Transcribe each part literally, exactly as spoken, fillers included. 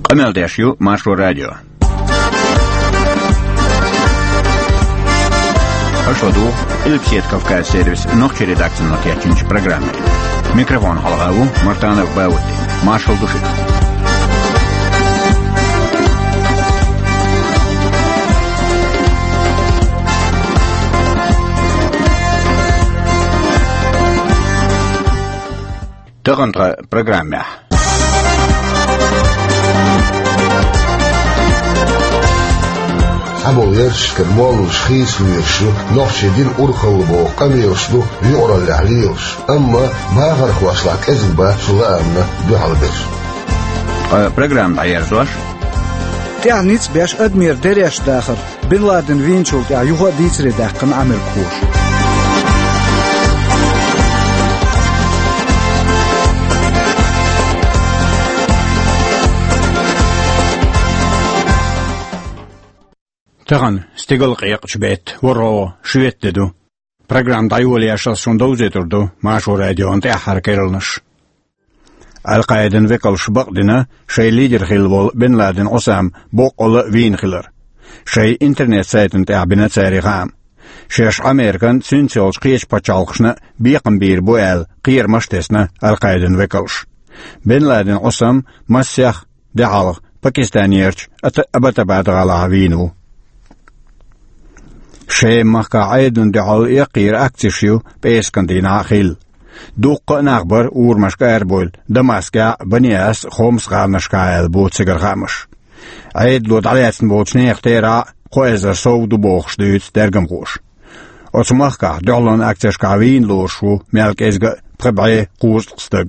Къамел деш ю Маршо радио. Аша ладугӀу Къилбаседа Кавказ сервисан нохчийн редакцино кечйинчу программе. Микрофон хьалха ву Мартанов Баудди. Маршалла ду шуьга. Тахана тхан программехь. Цхьаболу ярташкара молланаш хийцалуьйш ю, нохчийн дин урхалла боху къамелаш ду юкъараллехь лелаш, амма бахархошлахь кӀезиг бац цу лаамна дуьхьал берш. Ткъа программа дӀаерзош. ТӀаьхьа ницкъ беш адамера дереш дахар. Бен Ладен вийначул тӀаьхьа юха а дийцаре даьккхина Ӏамеркахоша. Тахана стигала къекъачу беттан ворхӀалгӀа шоьтан де ду. Программа дӀайолош ас шуна довзуьйтур ду Маршо радион тӀаьххьара керланаш. Ал-Къаидан векалша бакъдина шайн лидер хилла волу Бен Ладен Ӏусам боккъалла а вийна хилар. Шайн интернет-сайтана тӀехь бина цара и хаам. Шаьш Ӏамерикан, цуьнца йолчу кхечу пачхьалкхашна бекхам бийр бу аьлла, кхерамаш а тесна Ал-Къаидан векалша. Бен Ладен Ӏусам массех де хьалха Пакистанерчу Ата-, Абатабад гӀалахь вийна ву. Шема-махкахь Ӏедална дуьхьал яккхийра акцеш ю пӀераскан дийнахь а хилла. Дуккха а нах бара урамашка арабевлла Дамаскехь а, Баниас а, Хомс гӀаланашкахь а аьлла бу цигара хаамаш. Ӏедало дӀалаьцна болчу нехан терахь а кхо эзар сов ду бохуш дуьйцу тергамхоша. Оцу махкахь дуьхьалонан акцешкахь вийна лоруш ву мел кӀезга а пхи бӀе кхузткъа стаг.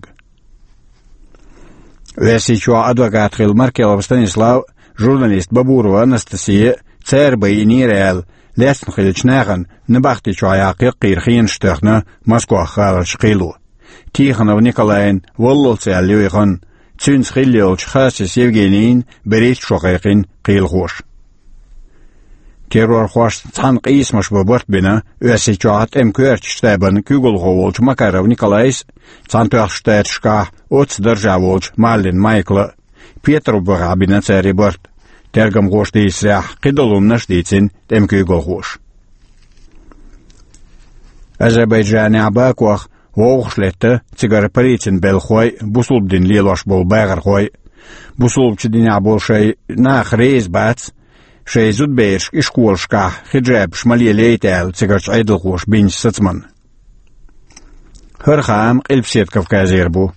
Оьрсийчохь адвокат хилла Маркелов Станислав а, журналист Бабурова Анастасия а цара байинера аьлла, лаьцна хиллачу нахана набахти чохь яккха яккхийра хенаш а тоьхна Москох гӀаларчу кхело. Тихонов Николайна валлалц аьлла ю и хан, цуьнца хилла йолчу Хасис Евгенийна берхӀитта шо кхайкхина кхелахоша. Террорхошца цхьаьна къийсамаш бан барт бина Оьрсийчохь тӀеман коьртачу штабан куьйгалхо волчу Макаров Николайс а, Цхьаьнатоьхначу Штаташкахь оццу даржехь волчу Маллин Майкла а, Петарбухехь бина цара и барт. Тергамхоша дийцарехь, кхидолу хӀуманаш а дийцина тӀеман куьйгалхоша. Азербайджанехь Бакох вовшахлетта цигара полицин белхахой а, бусулба дин лелош болу бахархой а. Бусулбачу динехь болу шайн нах реза бац, шайн зудаберашка ишколашкахь хиджабаш ма лелайта аьлла цигарчу Ӏедалхоша бинчу сацамна. ХӀара хаам Къилбаседа Кавказера бу.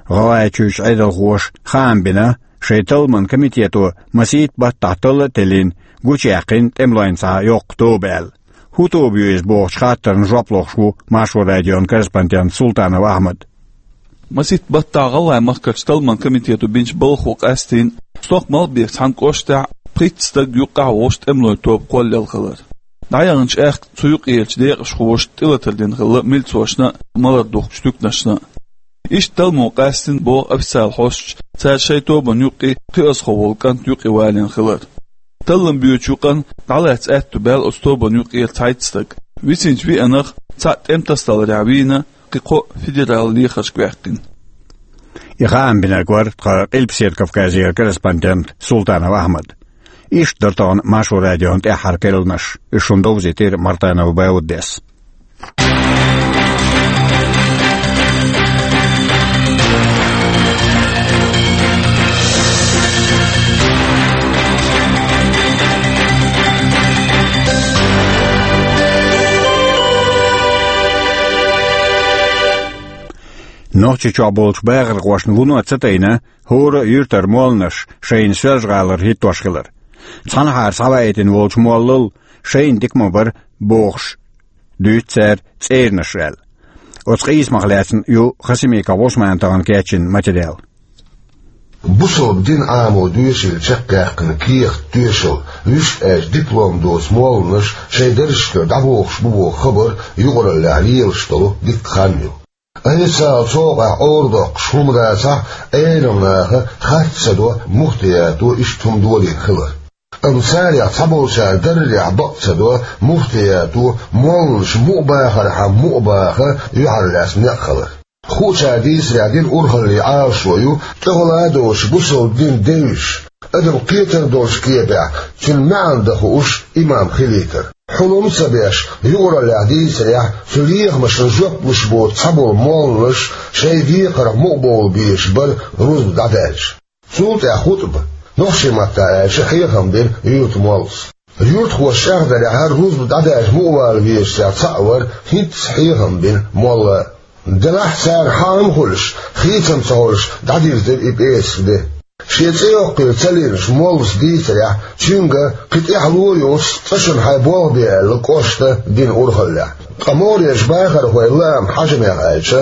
ГӀалгӀайчуьрчу Ӏедалхоша хаам бина, шайн талламан комитето масийтта баттахь талла а теллина, гучуяьккхина тӀемалойн цхьа йоккха тоба аьлла. ХӀун тоба ю иза бохучу хаттарна жоп лохуш ву Маршо радион корреспондент Султанов Ахьмад. Масийтта баттахь ГӀалгӀайн махкарчу талламан комитето бинчу балхо къаьстина, стохка Малхбекан цхьана кӀоштахь пхийтта стаг юккъехь а волуш тӀемалойн тоба кхоллаелла хилар. ДӀаяханчу аьхка цу юкъерачу декъашхоша тӀелатар дина хилла милцошна а, малар духкучу туьканашна а. Иштта талламо къаьстина боху официалан хьосташа, цара шайн тобанна юккъе кхиазхо волу кӀант юкъе валийна хилар. Таллам боьдучу юкъана дӀалаьцна аьтто баьлла оцу тобанна юкъера цхьайтта стаг. Висинчу виъанах цхьаъ тӀеман тасадаларехь вийна, кхин кхоъ федералан лехаршка ваьккхина. И хаам бинарг вара тхан Къилбаседа Кавказера корреспондент Султанов Ахьмад. Иштта дара тахана Маршо радион тӀаьххьара керланаш, уьш шуна довзийтира Мартанов Бауддис. Нохчийчохь болчу бахархошна вуно ца тайна, хӀора а юьртара молланаш шайна Соьлжа-ГӀалара хӀиттош хилар. Цхьанхьара схьаваийтина волчу моллал шайна дика ма бара бохуш дуьйцу цара цӀеранаш аьлла. Оцу къийсамах лаьцна ю Хасимиков Ӏусмана тахана кечйина материал. Бусалба дин Ӏамо доьшийла чекхъяьккхина кехат, тоьшалла, вуьшта аьлча диплом доцу молланаш шайн даржашкара дӀабохуш бу боху хабар юкъараллехь лелаш долу дикка хан ю. Официалан цӀокъехь Ӏорадоккхуш хӀума дацахь, Ӏеламнаха хатта ца до муфтиято иштта хӀума долийна хилар. Амма царех цхьаболчара даррехь бакъ ца до муфтиято молланаш муха бахархьама муха баха юьхьарлаьцна некъ хилар. Хуучара дийцарехь, динан урхаллин Ӏалашо ю тӀехула а доцуш бусалба дин девзаш, адам кхетар долчу кепехь цуьнан маьӀна дан хууш имам хилийтар. Хьулам а ца беш, юкъараллехь дийцарехь, цу лехамашна жоп луш боцу цхьаболу молланаш шайн декхарх мукъабовла безаш бара рузба дӀадаьлча. Цул тӀаьхьа хутӀба, нохчийн маттахь аьлча, хьехам бина юьртан моллас. Юьртахоша чӀагӀдарехь, рузба дӀадаьлча мукъавала везачех цхьаъ вара хӀинцца хьехам бина молла. Делахь царна хьаам а хуьлуш, хийцам ца хуьлуш, дӀадирзира и пӀераска де. Шен цӀе йоккхийла ца лиъначу моллас дийцарехь, цуьнга кхин тӀаьхьало а йоцуш, цкъа шуна хьайн болх бе аьлла, кӀошта дина урхаллехь. Ткъа могӀарерчу бахархойн лаам хьажамех аьлча,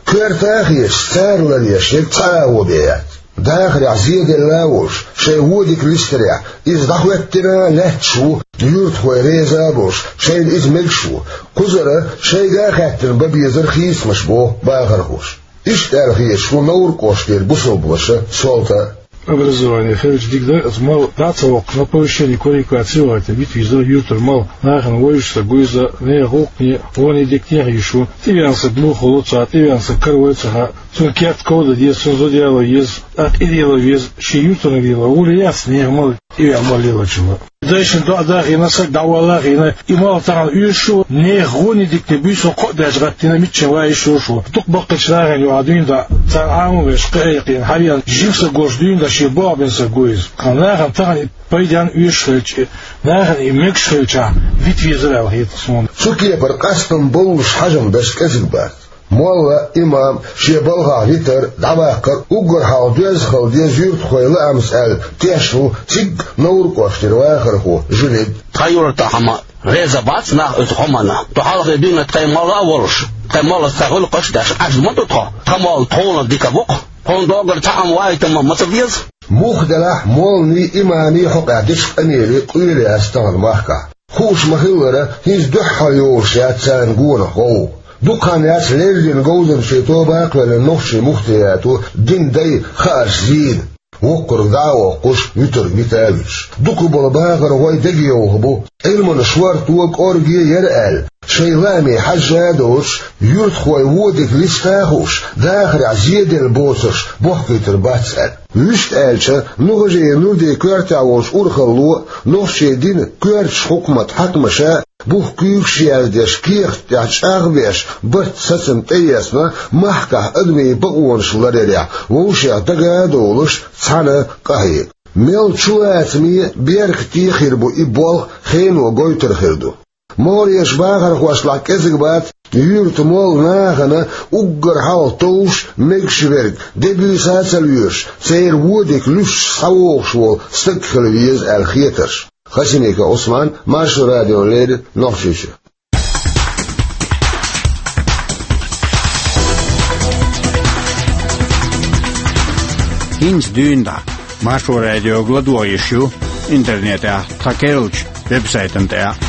коьрта а хеташ, цара ларъеш ерг цхьа агӀо бен яц. Дахарехь зеделла а волуш, шайн вон дика листарехь, иза дӀахӀоьттина а лаьтташ ву, юьртахой реза а болуш, шайна иза мегаш ву. Кхузара шайга а хаьттина бан безара хийцамаш, боху бахархоша. Иштта аьлла хеташ ву Невран кӀоштара бусалба ваша Солта а. Образование хилча дика дара, аса мал дӀа а ца воккхуш, на повышение квалификации вахийтина вита везара юьртара мал, нахана вевзаш ца го иза, нехан гӀуллакхане, гӀоне дикане хьийзаш ву. ТӀевеана саг муха хуьлу, цхьа тӀевеана саг каравой ца хаьа. Цуьнан керта ков дан деза, цуьнан зуда яло еза, тӀаккха и дело веза, шен юьртана лело, вуьлла яц нехан мал, тӀевеана мал лелочунна. Дайшна доӀа дан а хиъна, саг дӀавалла а хиъна, и мал тахана оьшуш ву, нехан гӀоне дикане буьйсанна кхоъ даьлча гӀаттийна, миччахь ван йиш йолуш ву. Дукха баккхийчу нахана юкъахь дуьйна дӀа, царна Ӏамо а беш, кхиа а кхиъна, хьавеана, жима саг волуш дуьйна дӀа шен болх бина саг го иза. Тхан нахана тахана и пайденна оьшуш хилча, нахана и мегаш хилчахь, вита везара аьлла хета суна. Цу кепара къастам боллуш хьажам беш кӀезиг бац. Молла, имам шен балхахь витар, дӀаваккхар уггар хьалха доьзна хила деза юьртахойн лаамца аьлла тешна ву цигга Невран кӀоштара вахархо Жунид. Тхан юьртахь ма реза бац нах оцу хӀуманна. Тхо хьалхе дуьйна тхайн молла а волуш, тхайн моллас тхан гӀуллакхаш а деш, Ӏаш ма ду тхо. Тхан молла тхуна дика бу-кх. Тхуна доггара цхьа а вайтам ма ца беза. Муха делахь, молланийн, имамийн хьокъехь дечу къамеле къоьлла яц тахана махкахь. Хууш ма-хиллара, хӀинца дуьххьара йолуш яц царна гонах гӀовгӀа. Дукха хан яц леррина говзанчийн тоба а кхоьллина нохчийн муфтиято динан дай хаарш зийна, воккхург дӀа а воккхуш, вуьтург вита а вуьтуш. Дукхахболу бахархой дегайовхо бу, Ӏилманан шорто, кӀорге яра аьлла, шайн лааме хьаьжжа а доцуш, юьртахойн вон дика листа а хууш, дахарехь зеделла боцурш бохкуьйтур бац аьлла. Вуьшта аьлча, Нухажиев Нурдин коьртехь волчу урхалло а, нохчийн динан коьртачу хьукматан хьаькамаша а бух куьйгаш яздеш, кехат тӀехь чӀагӀбеш, барт, сацам тӀеэцна, махкахь адамийн бакъонаш ларъярехь вовшех дага а довлуш, цхьаьна къахьега. Мел чулацаме, беркате хир бу и болх, хено гойтур хир ду. МогӀарерчу бахархошлахь кӀезиг бац юьртан молла нахана уггар хьалха товш, мегаш верг, де-буьйса а ца лоьруш, церан вон дика луьстуш схьавогӀуш волу стаг хила веза аьлла хетарш. Хасимиков Ӏусман, Маршо радиона леррина, Нохчийчоь. ХӀинца дуьйна дӀа Маршо радиога ладогӀа йиш ю интернетехь тхан керлачу веб-сайтана тӀехь.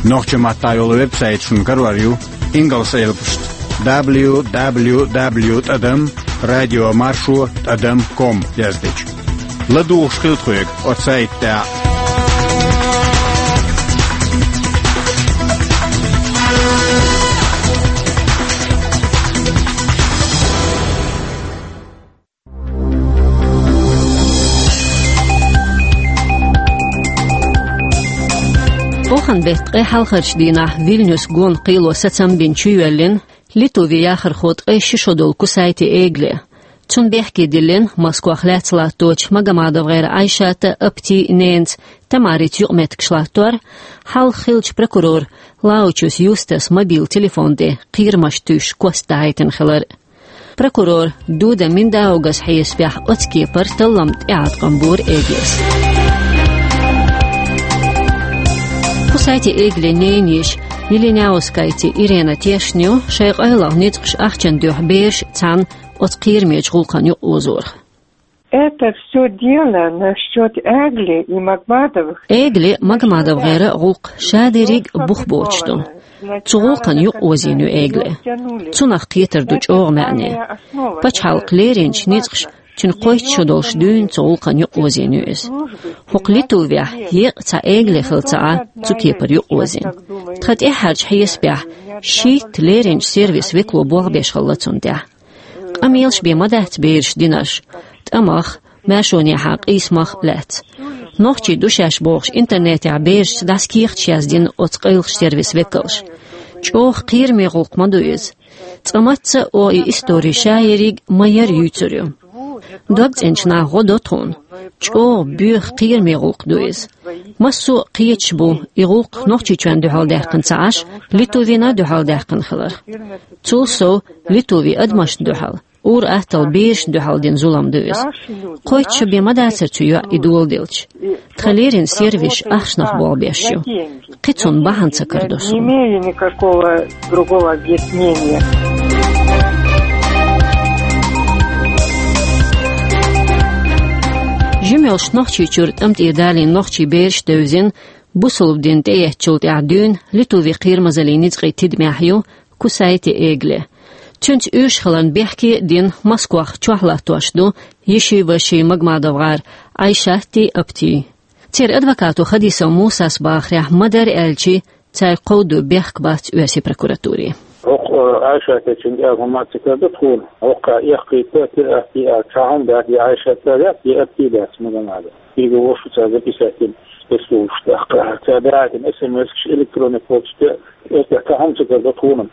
Нохчийн маттахь йолу веб-сайт шуна карор ю ингалс элпашца: дабл ю дабл ю дабл ю тӀадам радио маршо тӀадам ком яздича. ЛадугӀуш хила тхоьга оцу сайта тӀехь. Оханан беттан ткъе хьалхарчу дийнахь Вильнюс гонах кхело сацам бина чуйоьллина Литвин яхархо ткъе ши шо долу Кусайте Эгли. Цунна бехке диллина Москвахь лаьцна латточу МагомадовгӀеран Айшатан а, Аптин а ненан Тамарин юкъаметтигаш латтор, хьалха хиллачу прокуроран Лаучус Юстас мобил телефон тӀе кхерамаш туьйсуш кост дахьийтина хилар. Прокурор Дуда Миндаугас хьесапехь, оцу кепара таллам тӀеӀаткъам бора Эглис. Кусайте Эгли ненан йиша Милиняускайте Ирена тешна ю, шайн къайлаха ницкъаша ахчана дуьхьа бераш цхьаьна оцу кхерамечу гӀуллакхана юкъаозорах. Это всё дело насчёт Эгли и Магомадовых. Эгли, МагомадовгӀеран гӀуллакх ша дерриг а бух боцуш ду. Цу гӀуллакхана юкъаозийна ю Эгли. Цунах кхетар ду чӀогӀа маьӀне. Пачхьалкхо леринчу ницкъаша цуьнан кхойтта шо долуш дуьйна цу гӀуллакхана юкъаозийна ю иза. ХӀокху Литвехь еккъа цхьа Эгли хилла ца Ӏа цу кепара юкъаозийна. Тхан тӀаьххьарчу хьесапехь шийтта леринчу сервисан векало болх беш хилла цунна тӀехь. Мелаш бен ма дац бераш динарш. ТӀамах, маьршонехьа къийсамах лаьцна. Нохчий ду шаьш бохуш интернетехь берашца дӀаса кехаташ яздина оцу къайлахчу сервисан векалша. ЧӀогӀа кхераме гӀуллакх ма ду иза. Цкъа мацца а и истори ша ерриг ма-ярра юьйцур ю. ДогцӀеначу наха гӀо до тхуна. ЧӀогӀа боьха кхераме гӀуллакх ду иза. Массо а кхеташ бу и гӀуллакх Нохчийчоьнна дуьхьал даьккхина ца Ӏаш, Литвина дуьхьал даьккхина хиларх. Цул сов, Литвин адамашна дуьхьал, ур-атталла берашна дуьхьал дина зулам ду иза. Кхойтта шо бен ма дацара цу йоӀ и доладелча. Тхан леррина сервисаш ахчанах болх беш ю. Кхин цунна бахьана ца карадо суна. Не имею никакого другого объяснения. Жимелш Нохчийчуьра тӀам тӀера далийна нохчий бераш девзина, бусалба дин тӀеэцначул тӀаьхьа дуьйна Литвин кхерамазаллин ницкъийн тидамехь ю Кусайте Эгле. Цуьнца оьшуш хиларна бехке а дина, Москвахь чохь латтош ду Ешиваши Магомадовгар Айшатти Апти. Церан адвокато Хадисов Мусас бахарехь, ма-дарра аьлча, цаьрга кховдо бехк бац оьрсийн прокуратуре. ХӀокху Айшатти Апти аьлла хӀума ца карадо тхуна. ХӀокху эккхийтта, тӀе а, тӀе а, цхьа хӀума дац, я Айшатти дац, я Апти дац, Магомадов. Кхин вовшах цара записать дина, тӀе служаш тӀаккха. Цара даийтина эс эм эс-каш, электронный почта, эс тӀе цхьа хӀума ца карадо тхуна,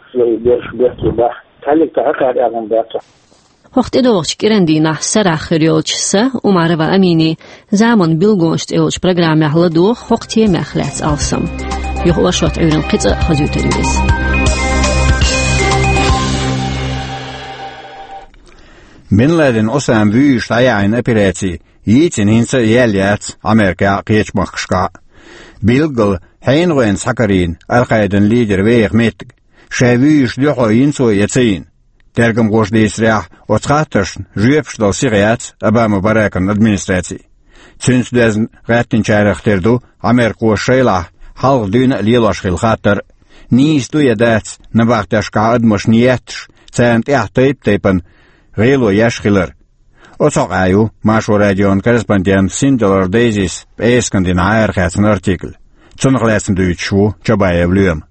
бераш бехке бац. Цхьаллиг цхьа хьакхара аьлла хӀума дац. ХӀокху тӀедогӀучу кӀиран дийнахь сарахь хир йолчу сан, Умарова Аминин, «Заман билгонаш» цӀе йолчу программехь ладогӀа хӀокху темех лаьцна алсам. Юха оршот Ӏуьйранна кхин цкъа а хазуьйтур ю иза. Бен Ладен Осаман вуьйш дӀаяьхьна операци йийцина хӀинца а яьлла яц Америкехь а, кхечу махкашкахь а. Билггал хьенан гӀоьнца схьакарийна Ал-Къаидан лидер веха меттиг, шайн вуьйш дуьхьал йина цо я ца йина. Тергамхоша дийцарехь, оцу хаттаршна жоьпаш дала сиха яц Обама Баракан администраци. Цуьнца доьзна гӀаьттинчарах тера ду америкхоша шайлахь хьалха дуьйна а лелош хилла хаттар. Нийса ду я дац набахтешкахь адамашна етташ, царна тӀехь тайп-тайпана гӀело еш хилар. Оцу хьокъехь ю Маршо радион корреспондент Синделар Дейзис пӀераскан дийнахь арахецна артикл. Цунах лаьцна дуьйцуш ву Чабаев Лоьма.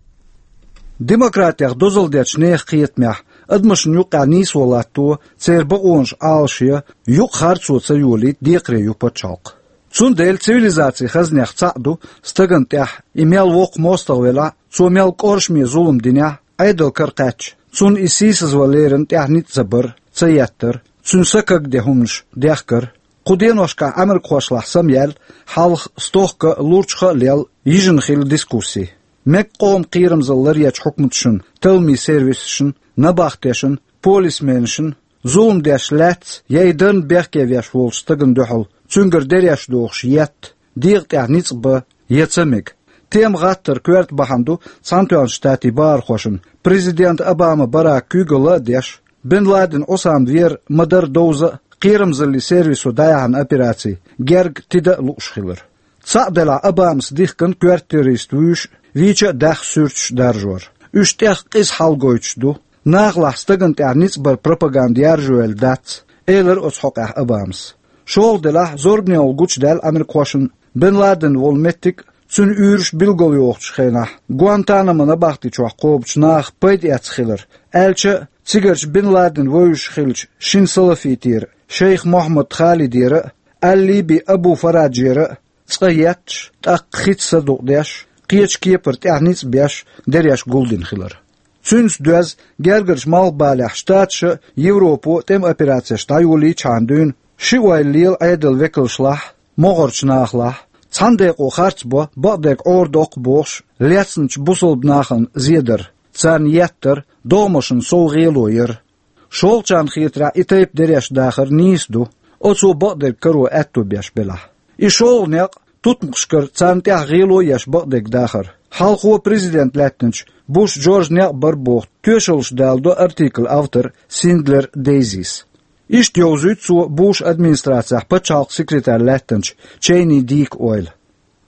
Демократех дозалла дечу нехан кхетамехь адамашна юккъехь нийсо латто, церан бакъонаш Ӏалашъе, юкъа харцо ца йолийта декхаре ю пачхьалкх. Цундела цивилизацин хазнех цхьаъ ду стагана тӀехь, и мел воккха мостагӀа велахь а, цо мел кӀоршаме зулам динехь а, Ӏедал кара кхаьчча, цунна и сийсазван леррина тӀехь ницкъ ца бар, ца еттар, цуьнан са кагде хӀуманаш дехкар. Кху деношкахь Ӏамеркахошлахь самаяьлла, хьалха стохка а, лурчах а лелла, йижина хилла дискусси. Мега къоман кхерамзалла ларъечу хьукматашна, талламийн сервисашна, набахтешна, полисменашна зулам деш лаьцна я и дарна бехке веш волчу стагана дуьхьал цуьнгара дереш дохуш етта, дегӀа тӀехь ницкъ бан я ца мега. Тема гӀаттар коьрта бахьана ду Цхьаьнатоьхначу Штатийн бахархошна, президент Обама Барака куьйгалла а деш, Бен Ладен Осама вер ма-дарра довза а, кхерамзаллин сервисо дӀаяьхьна операци герга тида а лууш хилар. Цхьаъ делахь, Обамас дихкина коьрта террорист вуьйш а, вийча а даьхна суьрташ даржор. Уьш тӀех къиза хьал гойтуш ду, нахалахь стагана тӀехь ницкъ баран пропаганда яржо йелла дац, элира оцу хьокъехь Обамас. ШолгӀа делахь, зорбане гӀуллакх гучудаьлла Ӏамеркахошна, Бен Ладен волу меттиг а, цуьнан уьйраш а билгалйохучу хенахь, Гуантанамо набахти чохь кхобучу наха пайда эцна хилар, аьлча а, цигарчу Бен Ладен вевзаш хиллачу шина салафитера, шейх Мохьмад Халидера а, Аль-Либи Абу Фараджера а цкъа етташ, тӀаккха хица садукъдеш, кхечу кепара тӀехь ницкъ беш, дереш гулдина хилар. Цуьнца доьзна, гергарчу малхбалехь Штаташа а, Европо а тӀеман операцеш дӀайолийчхьана дуьйна ши ойла лела Ӏедалан векалшлахь а, могӀарчу нахалахь а, цхьана декъо харц бо, бакъдерг Ӏорадоккху бохуш, лецначу бусалба нахана зедар, царна еттар, догӀмашна сов гӀело яр. ШолгӀачарна хетарехь, и тайпа дереш дахар нийса ду, оцо бакъдерг каро аьтто беш белахь. И шолгӀа некъ тутмакхашкара царна тӀехь гӀело а еш бакъдерг дахар. Хьалхо президент лаьттинчу Буш Джорджа некъ бара боху тоьшаллаш даладо артиклан автора Синдлер Дейзис. Иштта йовзуьйту цо Буш администрацехь пачхьалкхан секретарь лаьттинчу Чейни Дика ойла.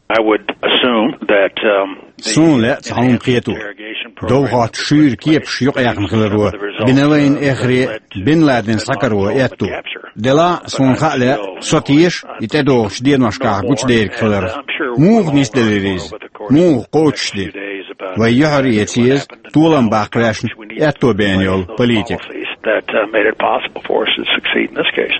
I would assume that, um, the Суна лаьа цхьа хӀума кхето. Довхоттуш шуьйра кепаш юкъаяьхна хиларо, Бен Ладен эххар а, Бен Ладен схьакаро аьтто. Делахь а, суна хаа лаьа, со теша и тӀедогӀучу деношкахь гучудерг хиларх. Муха нисделира иза? Муха кхочушдира? Вай юьхьар а эца еза толам баккха ваьшна аьтто беана йолу политика. that uh, made it possible for us to succeed in this case.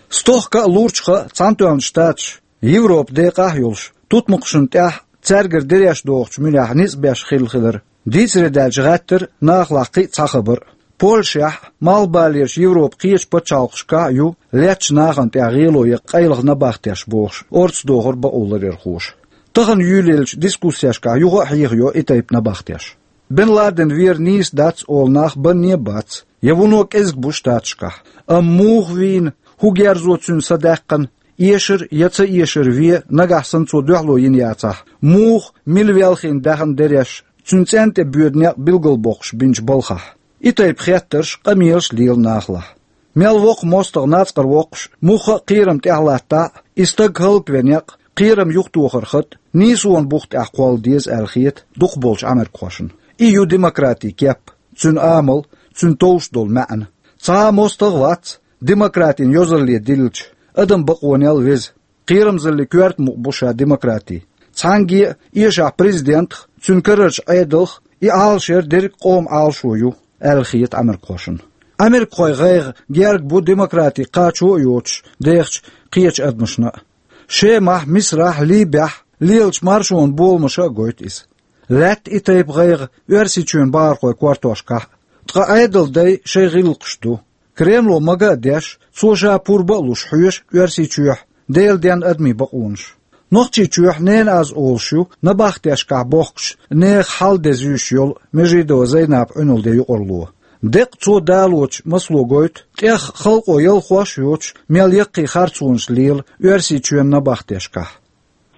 Стохка а, лурчха а Цхьаьнатоьхначу Штаташ, Европа декъахь а йолуш, тутмакхашна тӀехь цаьргара дереш дохучу муьлехь ницкъ беш хилла хилар. Дийцаре даьлча гӀаьттира нахалахь кхин а цхьа хабар. Польшехь а, Малхбалерчу Европан кхечу пачхьалкхашкахь а ю леттачу нахана тӀехь гӀело ян къайлаха набахтеш бохуш, орца дохура бакъо ларъярхоша. Тахана юьйлаеллачу дискуссешкахь юха а хьехайо и тайпа набахтеш. Бен Ладен вер нийса дац олу нах банне а бац, я вуно кӀезиг бу Штаташкахь. Амма муха вийна, хӀун герзо цуьнан са даьккхина, эшар я ца эшар вен, нагахь санна цо дуьхьало йина яцахь, муха, мила велхийна даьхна дереш, цуьнан цӀенна тӀе боьду некъ билгалбоккхуш бинчу балхахь. И тайпа хеттарш, къамелаш лела нахалахь. Мел воккха мостагӀа нацкъара воккхуш, мухха а кхерам тӀехь латтахь а, и стаг хӀаллаквен некъ, кхерам юхатохар хатӀ, нийсонан бух тӀехь кхолла деза аьлла хета дукхахболчу америкахошна. И ю демократин кеп, цуьнан амал, цуьнан товш долу маьӀна. Цхьа а мостагӀа вац, демократин йозалле диллича, адам бакъонел веза. Кхерамзаллин коьрта мукъ бу ша демократи. Цхьаьнгге а, эшахь президентах, цуьнан карарчу Ӏедалх, и Ӏалашъяр дерриг а къоман Ӏалашо ю, аьлла хета америкахошна. Америкахойн гӀайгӀа герга бу демократи кхачо а йоцуш дехачу кхечу адамашна а. Шемахь, Мисрахь, Либехь лелачу маршонан боламаша а гойту иза. Лаьтта и тайпа гӀайгӀа Оьрсийчоьнан бахархойн кортошкахь а. Ткъа Ӏедалан дай шайн гӀиллакхаш ду. Кремло мага а деш, цо ша пурба а луш хьоьшу Оьрсийчоьхь Делан денна адамийн бакъонаш. Нохчийчоьхь ненан аз олуш ю набахтешкахь бохкучу нехан хьал-де зуьйш йолу Межидова Зайнапан Ӏуьналла де юкъарло. Деккъа цо далочу масало гойту, тӀех халкъо ялхош а йоцуш, мел яккхий харцонаш лела Оьрсийчоьнан набахтешкахь.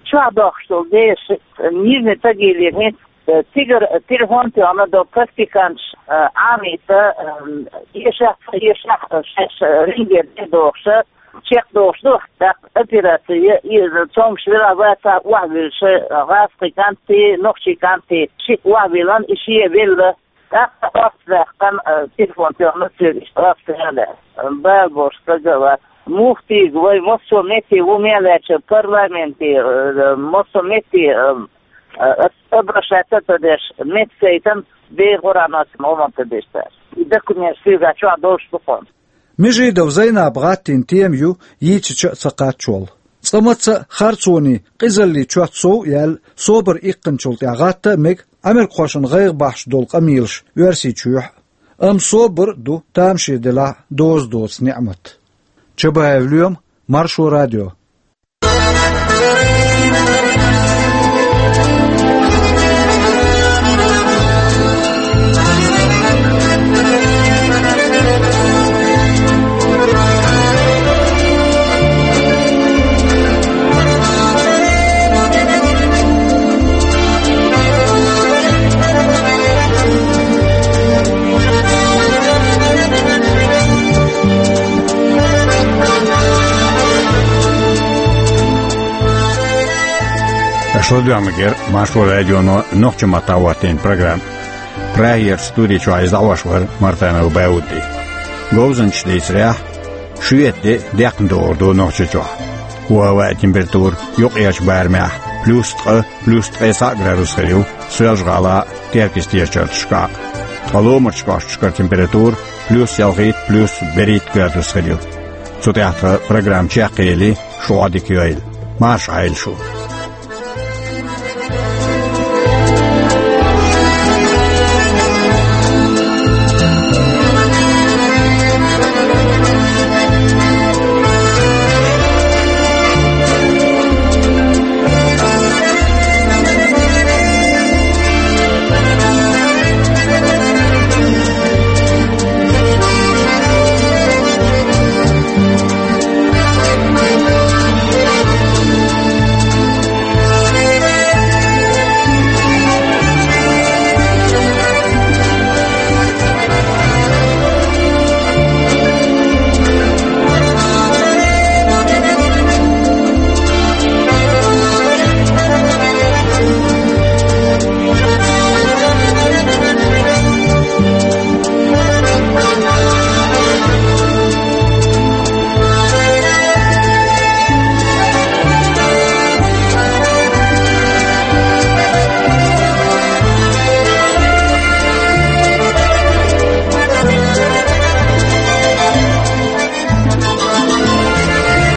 Чохь дохкуш долу деши, Нижний Тагиле, э, цигара телефон тоьхна долу практиканташ, э, Ӏамийта, э, эшахь, эшахь, э, шаьш, э, рингера де дохуша, чекхдохуш ду, тӀаккха операция, и цомгуш вела ваца охьавуьлуша, э, гӀазкхи кӀанти, нохчий кӀанти, шиъ охьавиллина, и шен велла. ТӀаккха орца даьккхина, э, телефон тоьхна цуьнга, иштта орца яьлла. Бала болуш стаг а вац. Муха тийга вай, массо а метте ву мел аьлча парламенте, э, массо а метте, э, э, обращаться ца деш, меттигайтина, бер гӀур а ма ца гӀо ма ца деш цара. И документаш цуьнга чохь долуш ду хьуна. Межидова Зайнапа гӀаттийна тема ю йийцича а ца кхаччалц. Цкъа маца а харцонийн къизаллин чот сов а яьлла, собар иккхинчул тӀаьхьа гӀатта а мега америкахошна гӀайгӀа бахьаш долу къамелаш Оьрсийчоьхь а. Амма собар а ду тамаше делахь а доза доцу неӀмат. Чабаев Лоьма, Маршо радио. Аша ладоьгӀнарг яра Маршо радионо нохчийн маттахь хӀоттийна программа. Прагерчу студи чохь иза дӀахьош вара Мартанов Бауди. Говзанчаша дийцарехь, шоьтан де даьккхина догӀур ду Нохчийчохь. ХӀаваан температура юккъерчу барамехь плюс ткъа, плюс ткъе цхьаъ градус хир ю Соьлжа-ГӀалахь а, Теркйистечу чарташкахь а. Ткъа ломарчу кӀошташкара температура плюс ялхитта, плюс берхӀитта градус хир ю. Цу тӀехь тхан программа чекхъели, шу Ӏодика йойла. Марша Ӏойла шу.